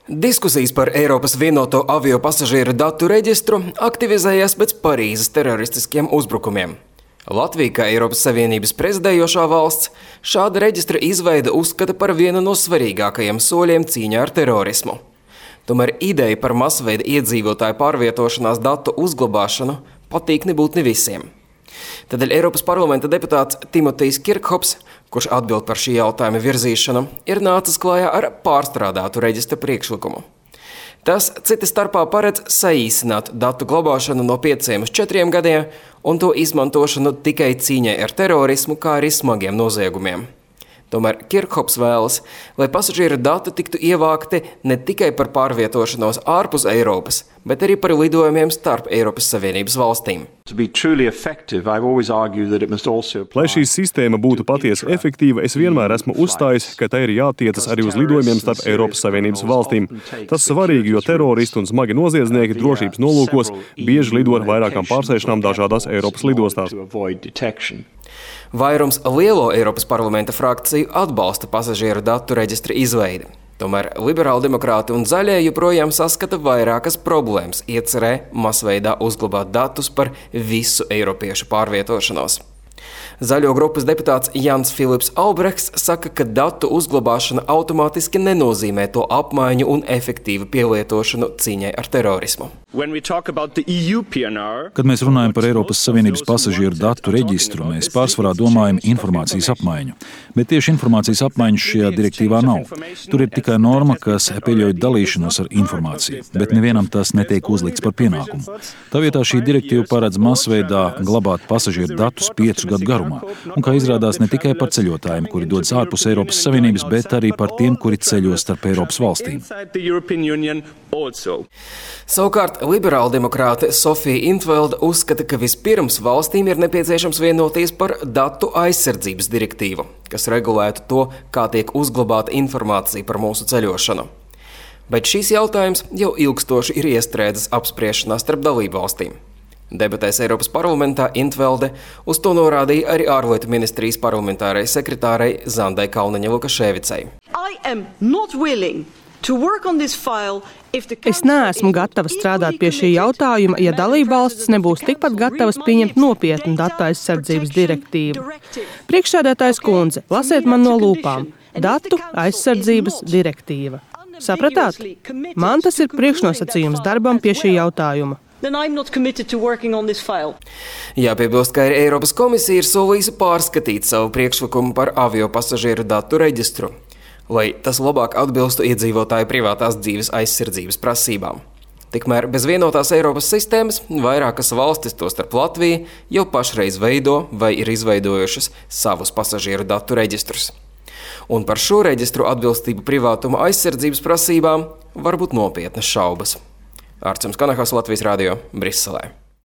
Diskusijas par Eiropas vienoto avio pasažieru datu reģistru aktivizējās pēc Parīzes teroristiskiem uzbrukumiem. Latvija, kā Eiropas Savienības prezidējošā valsts, šāda reģistra izveida uzskata par vienu no svarīgākajiem soļiem cīņā ar terorismu. Tomēr ideja par masveida iedzīvotāju pārvietošanās datu uzglabāšanu patīk nebūt ne visiem. Tādēļ Eiropas parlamenta deputāts Timotejs Kirkhops, kurš atbild par šī jautājuma virzīšanu, ir nācis klājā ar pārstrādātu reģistra priekšlikumu. Tas cita starpā paredz saīsināt datu glabāšanu no 5 uz 4 gadiem un to izmantošanu tikai cīņai ar terorismu, kā arī smagiem noziegumiem. Tomēr Kirkhops vēlas, lai pasažieru dati tiktu ievākti ne tikai par pārvietošanos ārpus Eiropas, bet arī par lidojumiem starp Eiropas Savienības valstīm. Lai šī sistēma būtu patiesi efektīva, es vienmēr esmu uzstājis, ka tai ir jātiecas arī uz lidojumiem starp Eiropas Savienības valstīm. Tas svarīgi, jo teroristi un smagi noziedznieki drošības nolūkos bieži lido ar vairākām pārsēšanām dažādās Eiropas lidostās. Vairums lielo Eiropas parlamenta frakciju atbalsta pasažieru datu reģistra izveidi. Tomēr liberāldemokrāti un zaļie joprojām saskata vairākas problēmas iecerē masveidā uzglabāt datus par visu eiropiešu pārvietošanos. Zaļo grupas deputāts Jans Filips Albrechts saka, ka datu uzglabāšana automātiski nenozīmē to apmaiņu un efektīvu pielietošanu cīņai ar terorismu. Kad mēs runājam par Eiropas Savienības pasažieru datu reģistru, mēs pārsvarā domājam informācijas apmaiņu. Bet tieši informācijas apmaiņas šajā direktīvā nav. Tur ir tikai norma, kas pieļauj dalīšanos ar informāciju, bet nevienam tas netiek uzlikts par pienākumu. Tā vietā šī direktīva paredz masveidā glabāt pasažieru datus 5 gadu garumā. Un, kā izrādās, ne tikai par ceļotājiem, kuri dodas ārpus Eiropas Savienības, bet arī par tiem, kuri ceļo starp Eiropas valstīm. Savukārt, liberāldemokrāte Sofija Intvelda uzskata, ka vispirms valstīm ir nepieciešams vienoties par datu aizsardzības direktīvu, kas regulētu to, kā tiek uzglabāta informācija par mūsu ceļošanu. Bet šīs jautājums jau ilgstoši ir iestrēdzis apspriešanā starp dalību valstīm. Debatēs Eiropas parlamentā Intvelde uz to norādīja arī ārlietu ministrijas parlamentārai sekretārei Zandai Kalniņai-Lukaševicai. Es neesmu gatava strādāt pie šī jautājuma, ja dalībvalstis nebūs tikpat gatavas pieņemt nopietnu datu aizsardzības direktīvu. Priekšsēdētājs kundze, lasiet man no lūpām. Datu aizsardzības direktīva. Sapratāt? Man tas ir priekšnosacījums darbam pie šī jautājuma. Jāpiebilst, ka Eiropas komisija ir solījusi pārskatīt savu priekšlikumu par avio pasažieru datu reģistru, lai tas labāk atbilstu iedzīvotāju privātās dzīves aizsardzības prasībām. Tikmēr bez vienotās Eiropas sistēmas vairākas valstis, tostarp Latvija, jau pašreiz veido vai ir izveidojušas savus pasažieru datu reģistrus. Un par šo reģistru atbilstību privātuma aizsardzības prasībām var būt nopietnas šaubas. Ārcums Kanahas, Latvijas radio, Briselē.